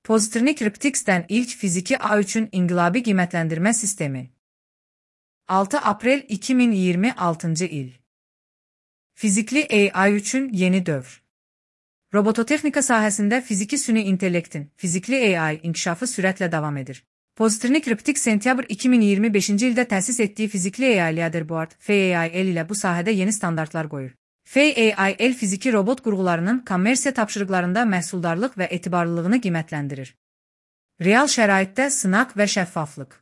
Pozitrnik Cryptics'dən ilk fiziki A3-ün inqilabi qiymətləndirmə sistemi. 6 aprel 2026 il. Fizikli AI üçün yeni dövr. Robototexnika sahəsində fiziki süni intellektin, fizikli AI inkişafı sürətlə davam edir. Pozitrnik Cryptics sentyabr 2025-ci ildə təsis etdiyi fizikli AI Leaderboard (FAIL) ilə bu sahədə yeni standartlar qoyur. FAIL fiziki robot qurğularının kommersiya tapşırıqlarında məhsuldarlıq və etibarlılığını qiymətləndirir. Real şəraitdə sınaq və şəffaflıq.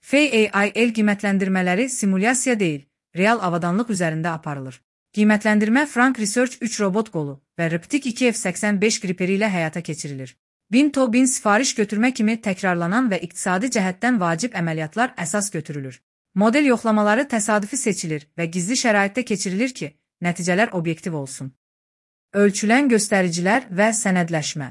FAIL qiymətləndirmələri simulyasiya deyil, real avadanlıq üzərində aparılır. Qiymətləndirmə Frank Research 3 robot qolu və Riptic 2F85 griperi ilə həyata keçirilir. 1000 to 1000 sifariş götürmə kimi təkrarlanan və iqtisadi cəhətdən vacib əməliyyatlar əsas götürülür. Model yoxlamaları təsadüfi seçilir və gizli şəraitdə keçirilir ki, nəticələr obyektiv olsun. Ölçülən göstəricilər və sənədləşmə.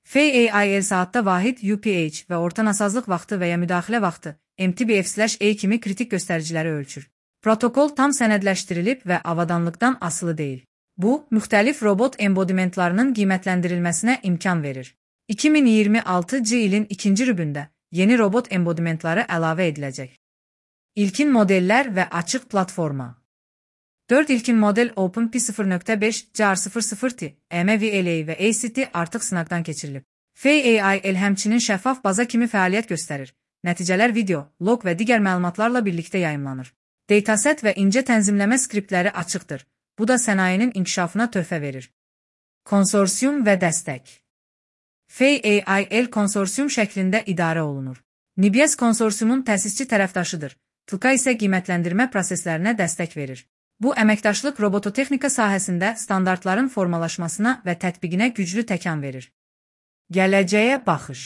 FAIL saatda vahid UPH və orta nasazlıq vaxtı və ya müdaxilə vaxtı MTBF/A kimi kritik göstəriciləri ölçür. Protokol tam sənədləşdirilib və avadanlıqdan asılı deyil. Bu, müxtəlif robot embodimentlarının qiymətləndirilməsinə imkan verir. 2026-cı ilin ikinci rübündə yeni robot embodimentları əlavə ediləcək. İlkin modellər və açıq platforma. 4 ilkin model OpenP0.5, JAR00T, MVLA və ACT artıq sınaqdan keçirilib. FAIL həmçinin şəffaf baza kimi fəaliyyət göstərir. Nəticələr video, log və digər məlumatlarla birlikdə yayımlanır. Dataset və incə tənzimləmə skriptləri açıqdır. Bu da sənayenin inkişafına töhfə verir. Konsorsium və dəstək. FAIL konsorsium şəklində idarə olunur. Nibias konsorsiumun təsisçi tərəfdaşıdır. TLK isə qiymətləndirmə proseslərinə dəstək verir. Bu, əməkdaşlıq robototexnika sahəsində standartların formalaşmasına və tətbiqinə güclü təkan verir. Gələcəyə baxış.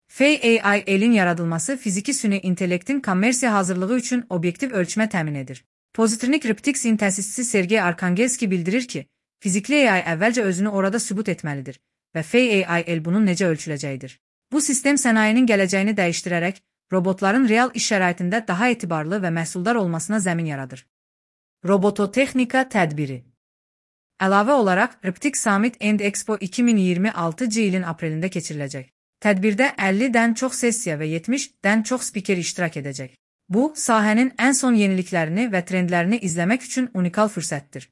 FAIL-in yaradılması fiziki süni intellektin kommersiya hazırlığı üçün obyektiv ölçmə təmin edir. Pozitrnik Cryptics'in təsisçisi Sergey Arkhangelski bildirir ki, fizikli AI əvvəlcə özünü orada sübut etməlidir və FAIL bunun necə ölçüləcəyidir. Bu sistem sənayenin gələcəyini dəyişdirərək, robotların real iş şəraitində daha etibarlı və məhsuldar olmasına zəmin yaradır. Robototexnika tədbiri. Əlavə olaraq, Riptic Summit and Expo 2026-cı ilin aprelində keçiriləcək. Tədbirdə 50-dən çox sessiya və 70-dən çox spiker iştirak edəcək. Bu, sahənin ən son yeniliklərini və trendlərini izləmək üçün unikal fürsətdir.